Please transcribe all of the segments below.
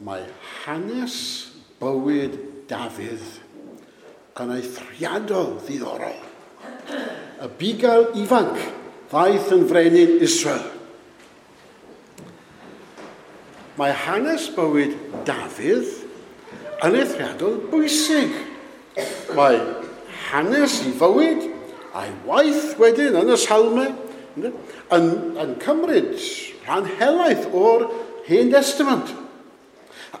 Mae hanes bywyd Dafydd yn eithriadol ddiddorol. Y bugail ifanc ddaeth yn frenin Israel. Mae hanes bywyd Dafydd yn eithriadol bwysig. Mae hanes i fywyd a'i waith wedyn yn y Salmau yn cymryd rhan helaeth o'r Hen Destament.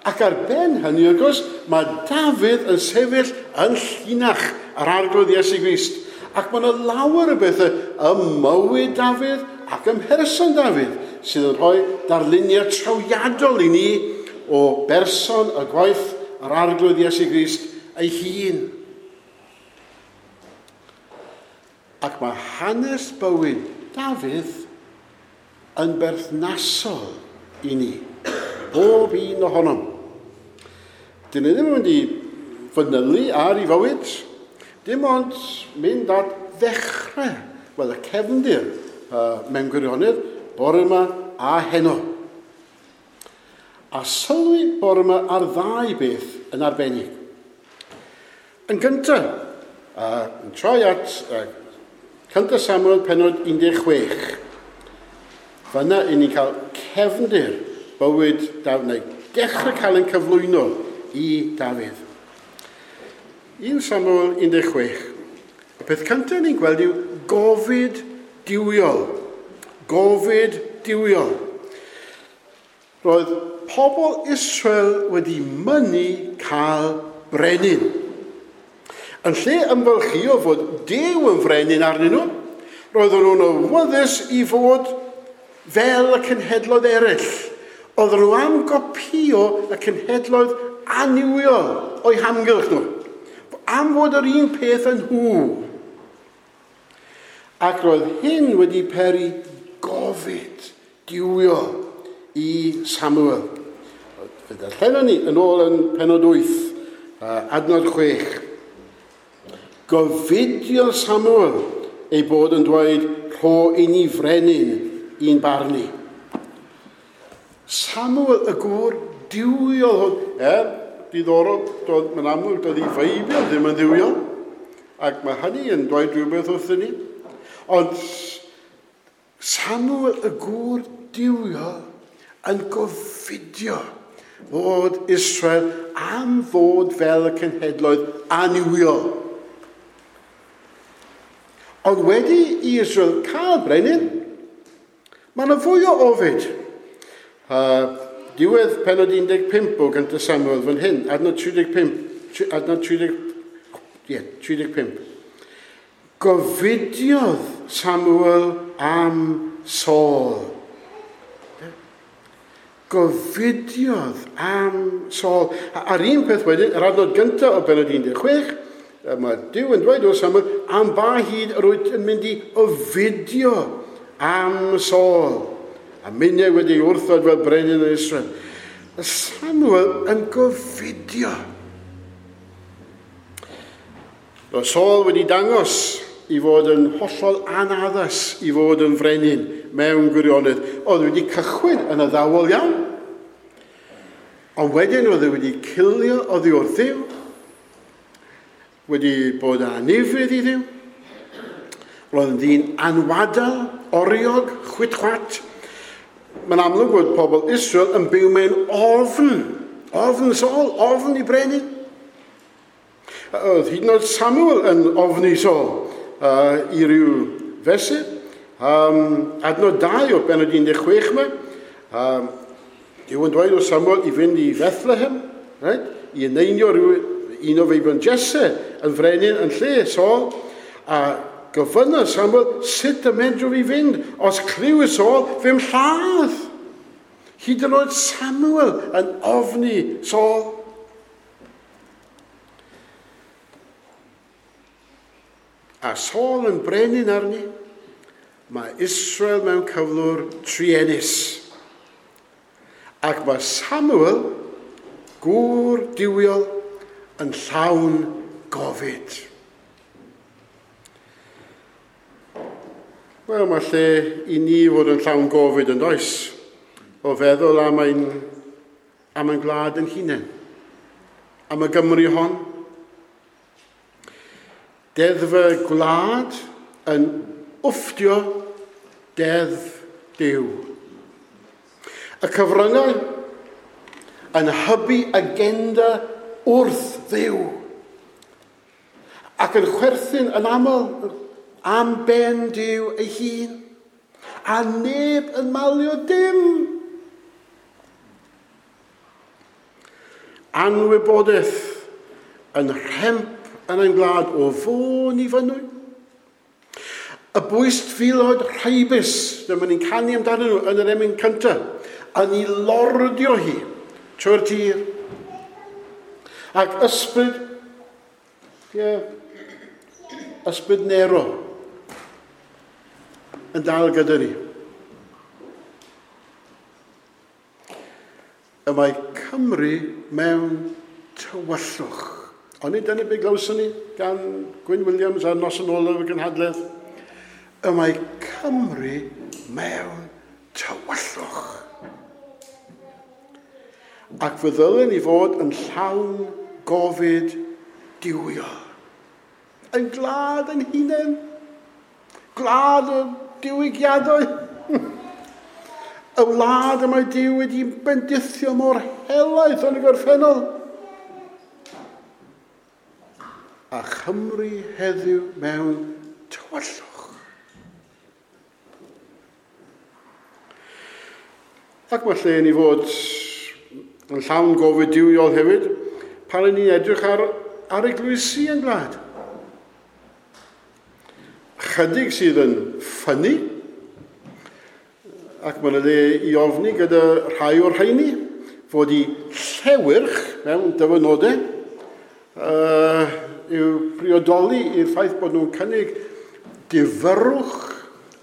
Ac ar ben hynny, wrth gwrs, mae Dafydd yn sefyll yn llinach yr Arglwydd Iesu Grist. Ac mae yna lawer o bethau ym mywyd Dafydd ac ym mherson Dafydd sydd yn rhoi darluniau trawiadol i ni o berson y gwaith yr Arglwydd Iesu Grist ei hun. Ac mae hanes bywyd Dafydd yn berthnasol i ni, bob un ohonom. Dyn ni ddim yn mynd i fanylu ar ei fywyd, dim ond mynd at ddechrau, wel y cefndir mewn gwirionedd, bore yma a heno. A sylwi bore yma ar ddau beth yn arbennig. Yn gyntaf, yn troi at 1 Samuel pennod 16. Fyna i ni'n cael cefndir bywyd Dafydd, neu dechrau cael ein cyflwyno i Dafydd. 1 Samuel 16. Y peth cyntaf ni'n gweld yw gofid duwiol. Gofid duwiol. Roedd pobl Israel wedi mynnu cael brenin. Yn lle ymfalchïo fod Duw yn frenin arnyn nhw, roedden nhw'n awyddus i fod fel y cenhedloedd eraill. Oedden nhw am gopïo y cenhedloedd annuwiol o'u hamgylch nhw. Am fod yr un peth yn nhw. Ac roedd hyn wedi peri gofid duwiol i Samuel. Fe ddarllenon ni yn ôl yn pennod 8, adnod 6. Gofidiodd Samuel ei bod yn dweud, rho i ni frenin i'n barnu. Samuel y gŵr duwiol hwn, diddorol, mae'n amlwg doedd ei Feibl ddim yn dduwiol, ac mae hynny yn dweud rhywbeth wrthyn ni. Ond Samuel y gŵr duwiol yn gofidio fod Israel am fod fel y cenhedloedd annuwiol. Ond wedi i Israel cael brenin, mae yna fwy o ofid. Diwedd pennod 15 o 1 Samuel fan hyn, adnod 35, adnod 35. Gofidiodd Samuel am Saul. Gofidiodd am Saul. A'r un peth wedyn, yr adnod gyntaf o bennod 16, mae Duw yn dweud wrth Samuel, am ba hyd yr wyt yn mynd i ofidio am Saul. A minnau wedi wrthod fel brenin yn Israel. Samuel yn gofidio. Roedd Saul wedi dangos i fod yn hollol anaddas i fod yn frenin mewn gwirionedd. Oedd wedi cychwyn yn addawol iawn. Ond wedyn oedd wedi cilio oddi wrth Dduw, wedi bod yn anufudd i Dduw. Roedd yn ddyn anwadal, oriog, chwit-chwat. Mae'n amlwg bod pobl Israel yn byw mewn ofn. Ofn Saul, ofn i brenin. Oedd hyd yn oed Samuel yn ofni Saul i ryw fesur. Adnod 2 o bennod 16 yma. Duw yn dweud wrth Samuel i fynd i Bethlehem, right? I eneinio rhyw un o feibion Jesse yn frenin yn lle Saul. A gofynnodd Samuel, sut y medrw fi fynd? Os clyw Saul, fe'm lladd. Hyd yn oed Samuel yn ofni Saul. A Saul yn brenin arni, mae Israel mewn cyflwr truenus. Ac mae Samuel, gŵr duwiol, yn llawn gofid. Wel, mae lle i ni fod yn llawn gofid yn does, o feddwl am ein am ein gwlad yn hunain, am y Gymru hon. Deddf y gwlad yn wfftio deddf Duw. Y cyfryngau yn hybu agenda wrth Dduw ac yn chwerthin yn aml am ben Duw ei hun, a neb yn malio dim. Anwybodaeth yn rhemp yn ein gwlad o Fôn i Fynwy. Y bwystfilod rhaibus, dyma ni'n canu amdanyn nhw yn yr emyn cyntaf, yn ei lordio hi trwy'r tir. Ac ysbryd, ie, ysbryd Nero yn dal gyda ni. Y mae Cymru mewn tywyllwch. Ond nid dyna beth glywson ni gan Gwyn Williams ar noson olaf y gynhadledd. Y mae Cymru mewn tywyllwch. Ac fe ddylen ni fod yn llawn gofid duwiol. Yn gwlad yn hunain. Gwlad y diwygiadau. Y wlad y mae Duw wedi bendithio mor helaeth yn y gorffennol. A Chymru heddiw mewn tywyllwch. Ac mae lle ni fod yn llawn gofid duwiol hefyd pan ni'n edrych ar eglwysi yn gwlad. Chydig sydd yn ffynnu, ac mae'n le i ofni gyda rhai o'r rheini, fod i llewyrch mewn dyfynodau yw priodoli i'r ffaith bod nhw'n cynnig difyrrwch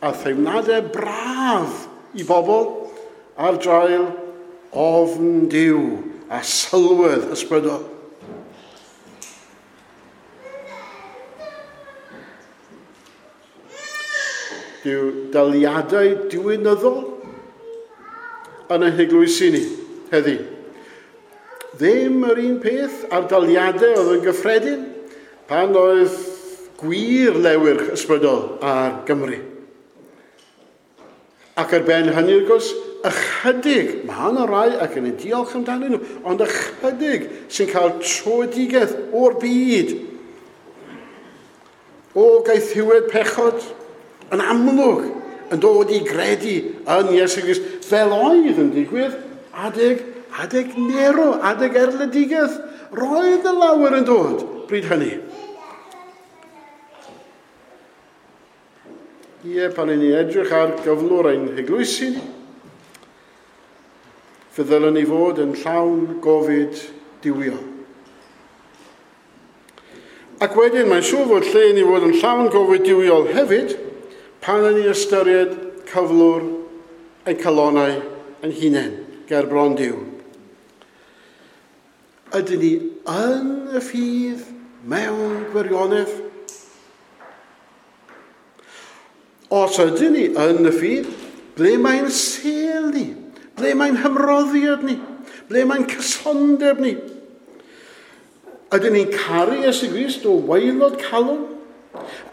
a theimladau braf i bobl ar draul ofn Duw a sylwedd ysbrydol. Dyw daliadau diwinyddol yn ein heglwysi ni heddi. Ddim yr un peth a'r daliadau oedd yn gyffredin pan oedd gwir lewyrch ysbrydol ar Gymru. Ac ar ben hynny, wrth gwrs, ychydig, mae yna rai ac yn ei diolch amdanyn nhw, ond ychydig sy'n cael tröedigaeth o'r byd, o gaethiwed pechod, yn amlwg yn dod i gredu yn Iesu Grist, fel oedd yn digwydd adeg Nero, adeg erledigaeth. Roedd y lawer yn dod bryd hynny. Ie, pan i ni edrych ar gyflwr ein heglwysi ni, fe ddylen ni fod yn llawn gofid duwiol. Ac wedyn, mae'n siŵr fod lle i ni fod yn llawn gofid duwiol hefyd, pan yn ni ystyried cyflwr ein calonnau ein hunain ger bron Duw. Ydyn ni yn y ffydd mewn gwirionedd? Os ydyn ni yn y ffydd, ble mae'n sêl ni? Ble mae'n hymroddiad ni? Ble mae'n cysondeb ni? Ydyn ni'n caru Iesu Grist o waelod calon?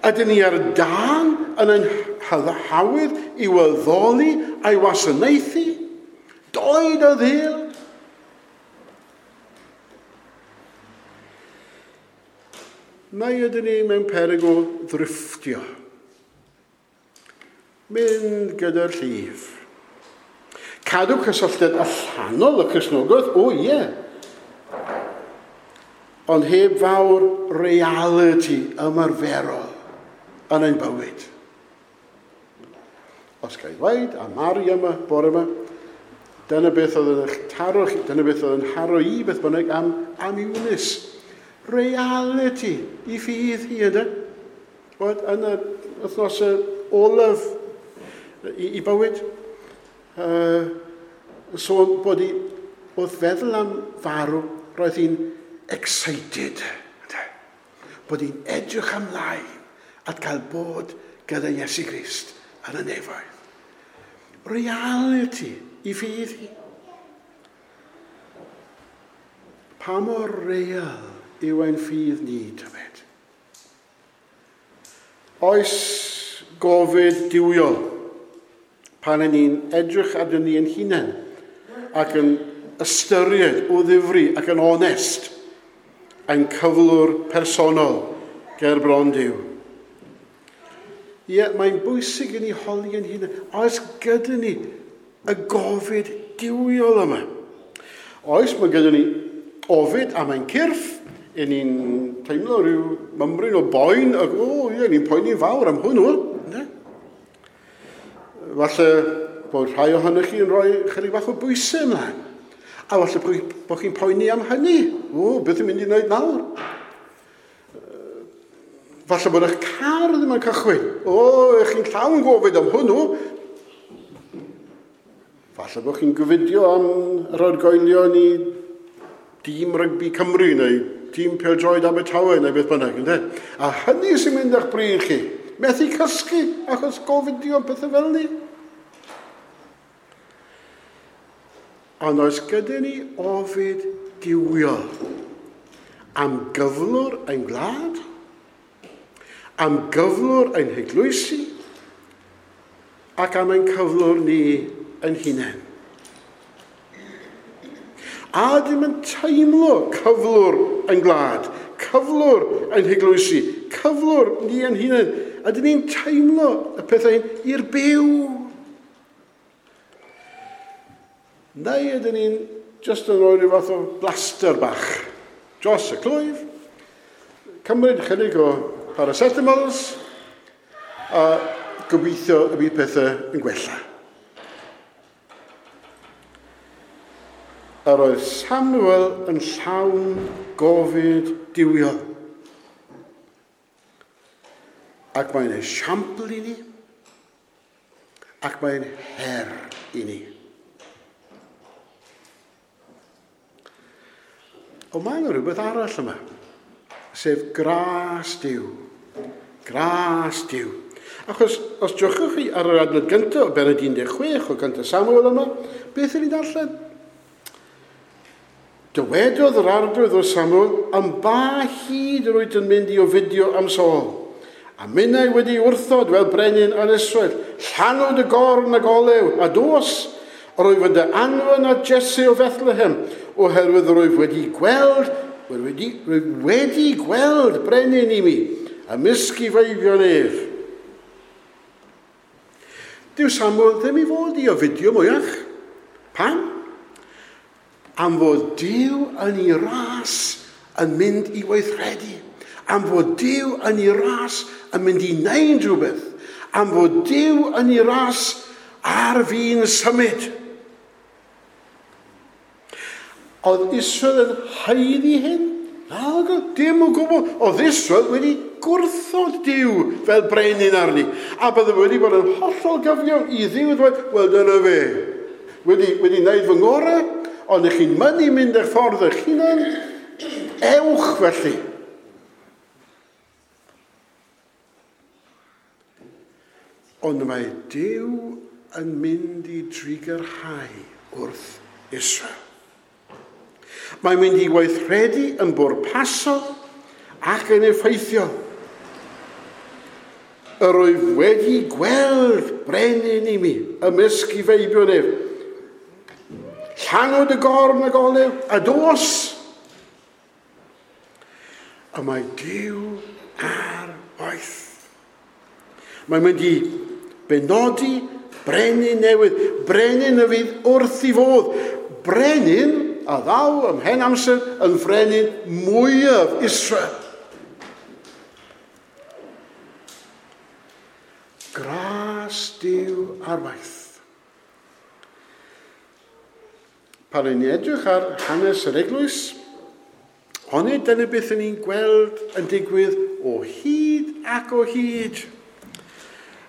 Ydyn ni ar dân yn ein hawydd i addoli a'i wasanaethu? Doed a ddêl? Neu ydyn ni mewn peryg o ddrifftio? Mynd gyda'r llif. Cadw cysylltiad allanol y Cristnogaeth, o ie. Ond heb fawr reality ymarferol yn ein bywyd. Os ga i ddweud, a Mari yma, bore yma, dyna beth oedd yn eich taro chi, dyna beth oedd yn haro i beth bynnag am Eunice. Reality i ffydd hi, ynddo? Bod yn y wythnos olaf i bywyd, sôn bod hi, wrth feddwl am farw, roedd hi'n excited. Bod hi'n edrych ymlaen at gael bod gyda Iesu Grist yn y nefoedd. Reality i ffydd hi. Pa mor real yw ein ffydd ni, tybed? Oes gofid duwiol pan y'n ni'n edrych arnyn ni ein hunain ac yn ystyried o ddifri ac yn onest ein cyflwr personol ger bron Duw? Ie, mae'n bwysig i ni holi ein hunain. Oes gyda ni y gofid duwiol yma? Oes, mae gyda ni ofid am ein cyrff, i ni'n teimlo rhyw mymryn o boen, ac o, ie, ni'n poeni'n fawr am hwnnw. Ne? Falle bod rhai ohonych chi yn rhoi chydig bach o bwysau ymlaen. A falle bod chi'n poeni am hynny. O, beth yw'n mynd i wneud nawr? Falle bod eich car ddim yn cychwyn. O, ych chi'n llawn gofid am hwnnw. Falle bod chi'n gofidio am yr argoelion i dîm rygbi Cymru neu tîm pêl-droed Abertawe neu beth bynnag, ynde? A hynny sy'n mynd â'ch bryd chi. Methu cysgu achos gofidio am pethau fel ni. Ond oes gyda ni ofid duwiol am gyflwr ein gwlad, am gyflwr ein heglwysi, ac am ein cyflwr ni ein hunain? A ydym yn teimlo cyflwr ein gwlad, cyflwr ein heglwysi, cyflwr ni ein hunain? Ydyn ni'n teimlo y pethau hyn i'r byw? Neu ydyn ni'n just yn rhoi rhyw fath o blaster bach dros y clwyf, cymryd chydig o paracetamols, a gobeithio y bydd pethau yn gwella? Yr oedd Samuel yn llawn gofid duwiol. Ac mae'n esiampl i ni, ac mae'n her i ni. Ond mae yna rhywbeth arall yma, sef gras Duw. Gras Duw. Achos os drychwch chi ar yr adnod gyntaf o bennod 16 o gyntaf Samuel yma, beth ydyn ni'n darllen? Dywedodd yr Arglwydd wrth Samuel, am ba hyd yr wyt yn mynd i ofidio am Saul? A minnau wedi wrthod fel brenin ar Israel, llanw dy gorn ag olew, a dos, yr wyf yn dy anfon at Jesse o Bethlehem, oherwydd yr wyf wedi gweld, rwyf wedi gweld brenin i mi, ymysg i feibion ef. Dyw Samuel ddim i fod i ofidio mwyach. Pam? Am fod Duw yn ei ras yn mynd i weithredu. Am fod Duw yn ei ras yn mynd i wneud rhywbeth. Am fod Duw yn ei ras ar fin symud. Oedd Israel yn haeddu hyn? Na, dim o gwbl. Oedd Israel wedi gwrthod Duw fel brenin arni. A bydde wedi bod yn hollol gyfiawn i Dduw ddweud, wel dyna fe. Wedi wneud fy ngorau, ond ych chi'n mynnu mynd eich ffordd eich hunan, ewch felly. Ond mae Duw yn mynd i drugarhau wrth Israel. Mae'n mynd i weithredu yn bwrpasol ac yn effeithiol. Yr wyf wedi gweld brenin i mi ymysg i feibion ef. Llanw dy gorn ag olew, a dos. A mae Duw ar waith. Mae'n mynd i benodi brenin newydd, brenin y fydd wrth i fodd, brenin a ddaw ymhen amser yn frenin mwyaf Israel. Gras Duw ar waith. Pan ni'n edrych ar hanes yr eglwys, onid dyna beth ni'n gweld yn digwydd o hyd ac o hyd.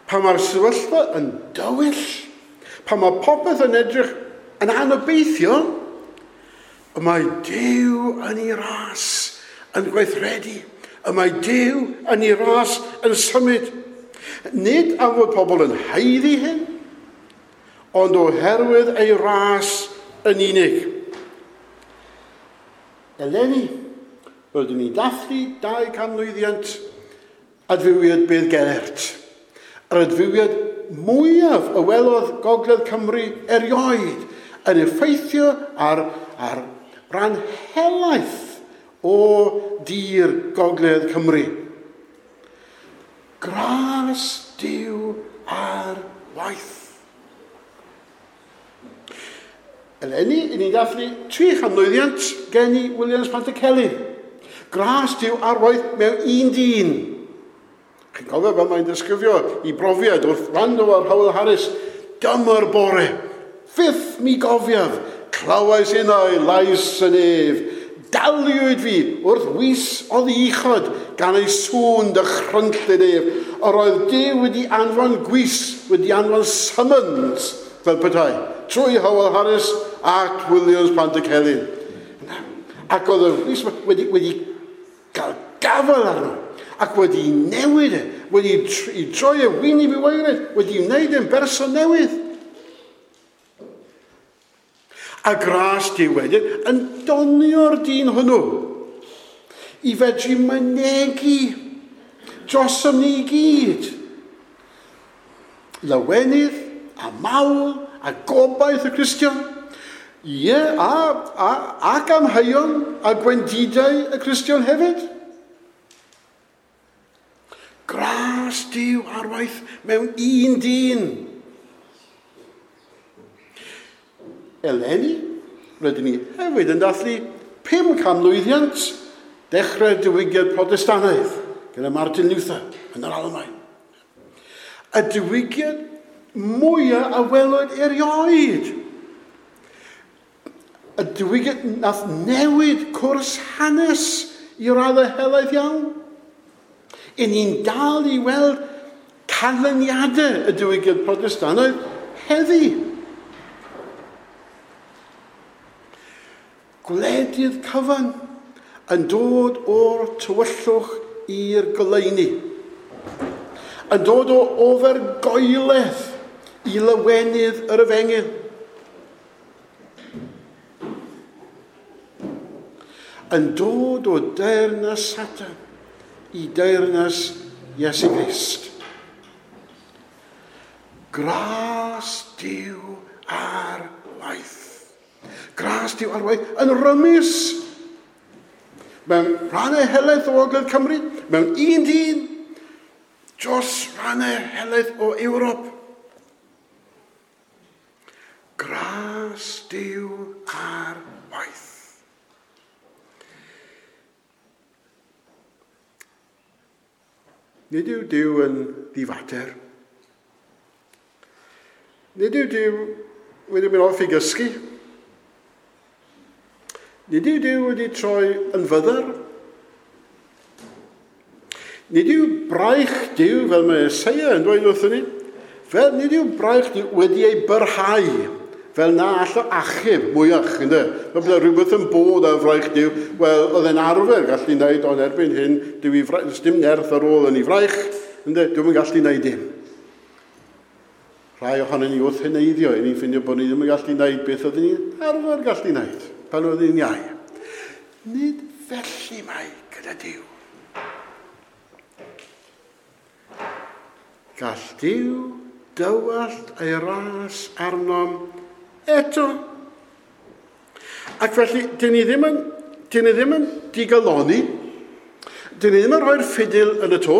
Pan mae'r sefyllfa yn dywyll, pan mae popeth yn edrych yn anobeithiol, y mae Duw yn ei ras yn gweithredu. Y mae Duw yn ei ras yn symud. Nid am fod pobl yn haeddu hyn, ond oherwydd ei ras yn unig. Eleni, rydyn ni'n dathlu 200 mlwyddiant adfywiad Beddgelert. Yr adfywiad mwyaf y welodd Gogledd Cymru erioed yn effeithio ar ran helaeth o dir Gogledd Cymru. Gras Duw ar waith. Eleni, i ni'n dathlu 300 mlwyddiant geni Williams Pantycelyn. Gras Duw ar waith mewn un dyn. Chi'n cofio fel mae'n disgrifio i brofiad wrth wrando ar Howell Harris. Dyma'r bore, fyth mi gofiaf, clywais innau lais yn ef. Daliwyd fi wrth wys oddi uchod gan ei sŵn dychrynllyd ef. Yr oedd Duw wedi anfon gwys, wedi anfon summons, fel petai, trwy Howell Harris at Williams Pantycelyn. Ac oedd y wys wedi cael gafael arno, ac wedi newid e, wedi i troi e wyneb i waered, wedi wneud e'n berson newydd. A gras Duw wedyn yn donio'r dyn hwnnw i fedru mynegi drosom ni i gyd. Lawenydd a mawl a gobaith y Cristion. Ie, ac amheuon a gwendidau y Cristion hefyd. Gras Duw ar waith mewn un dyn. Eleni, rydyn ni hefyd yn dathlu 500 mlwyddiant dechrau'r diwygiad Protestannaidd gyda Martin Luther yn yr Almaen. Y diwygiad mwyaf a welwyd erioed. Y diwygiad nath newid cwrs hanes i raddau helaeth iawn. I ni'n dal i weld canlyniadau y diwygiad Protestannaidd heddi. Gwledydd cyfan yn dod o'r tywyllwch i'r goleuni. Yn dod o ofergoeledd i lawenydd yr efengyl. Yn dod o deyrnas Satan i deyrnas Iesu Grist. Gras Duw ar waith. Gras Duw ar waith yn rymus. Mewn rhannau helaeth o Ogledd Cymru, mewn un dyn, dros rhannau helaeth o Ewrop. Gras Duw ar waith. Nid yw Duw yn ddifater. Nid yw Duw wedi mynd off i gysgu. Nid yw Duw wedi troi yn fyddar. Nid yw braich Duw, fel mae Eseia yn dweud wrthyn ni, fel nid yw braich Duw wedi ei byrhau, fel na all o achub mwyach, ynde? Fel byddai rhywbeth yn bod ar fraich Duw, wel, oedd e'n arfer gallu wneud, ond erbyn hyn, does dim nerth ar ôl yn ei fraich, ynde? Dwi'm yn gallu wneud dim. Rhai ohonon ni wrth heneiddio, i ni'n ffindio bod ni ddim yn gallu wneud beth oedden ni'n arfer gallu wneud, pan oedden ni'n iau. Nid felly mae gyda Duw. Gall Duw dywallt ei ras arnom eto. Ac felly, dyn ni ddim yn digalonni, dyn ni ddim yn rhoi'r ffidil yn y to,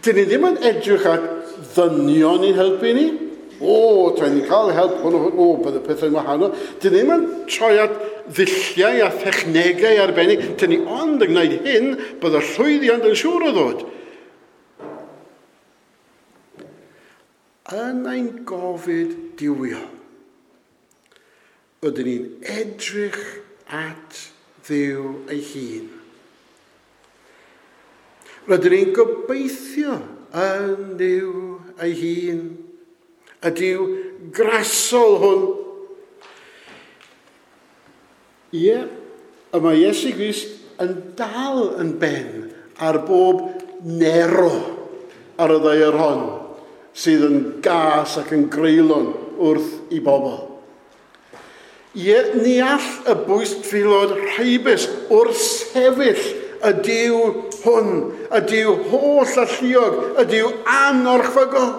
dyn ni ddim yn edrych at ddynion i'n helpu ni. O, tra'n ni'n cael help hwn, o, bydd y pethau'n wahanol. Dyn ni ddim yn troi at ddulliau a thechnegau arbennig. Dyn ni ond yn gwneud hyn, bydd y llwyddiant yn siŵr o ddod. Yn ein gofid duwiol, ydyn ni'n edrych at Dduw ei hun. Rydyn ni'n gobeithio yn Dduw ei hun, y Duw grasol hwn. Ie, y mae Iesu Grist yn dal yn ben ar bob Nero ar y ddaear hon, sydd yn gas ac yn greulon wrth i bobl. Ie, ni all y bwystfilod rhaibus wrthsefyll y Duw hwn, y Duw holl alluog, y Duw anorchfygol.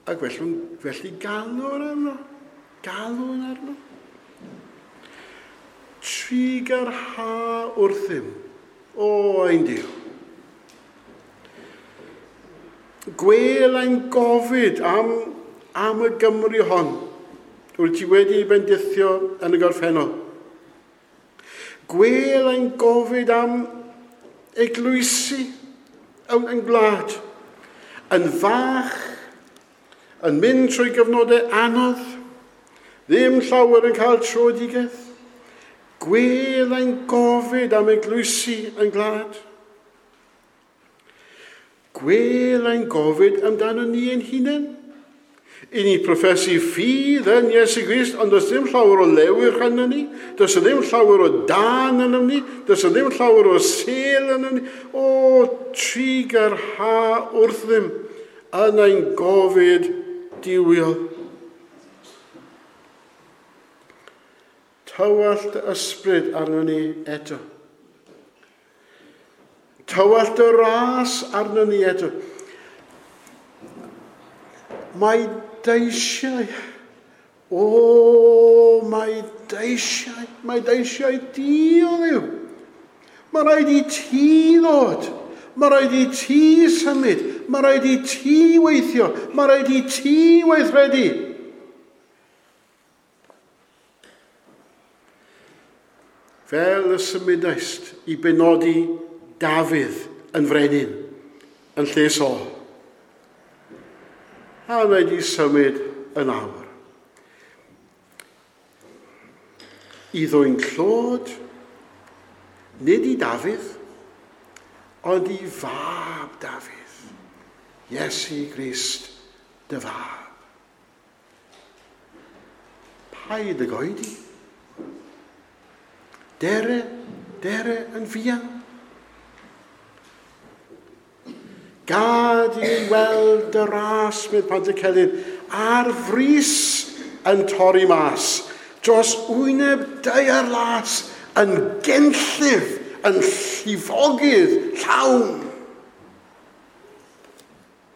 Ac felly galw'n arno, galw'n arno. Trugarha wrthym, o ein Duw. Gwel ein gofid am y Gymru hon, wyt ti wedi bendithio yn y gorffennol. Gwel ein gofid am eglwysi yn gwlad, yn fach, yn mynd trwy gyfnodau anodd, ddim llawer yn cael tröedigaeth. Gwel ein gofid am eglwysi yn gwlad. Gwel ein gofid amdano ni ein hunain. I ni proffesu ffydd yn Iesu Grist, ond does ddim llawer o lewyrch yno ni, does ddim llawer o dân yno ni, does ddim llawer o sêl yno ni. O, trugarha wrthym yn ein gofid duwiol. Tywallt dy ysbryd arno ni eto. Tywallt dy ras arno ni eto. Mae dy eisiau, o, mae dy eisiau di, o Dduw. Mae rhaid i ti ddod, mae rhaid i ti symud, mae rhaid i ti weithio, mae rhaid i ti weithredu. Fel y symudaist i benodi Dafydd yn frenin, yn lle Saul. A mae wedi symud yn awr. I ddwyn clod, nid i Dafydd, ond i fab Dafydd, Iesu Grist, dy fab. Paid ag oedi. Dere, dere yn fuan. Gad i ni weld y ras, medd Pantycelyn, ar frys yn torri mas, dros wyneb daear las, yn genllif, yn llifogydd llawn.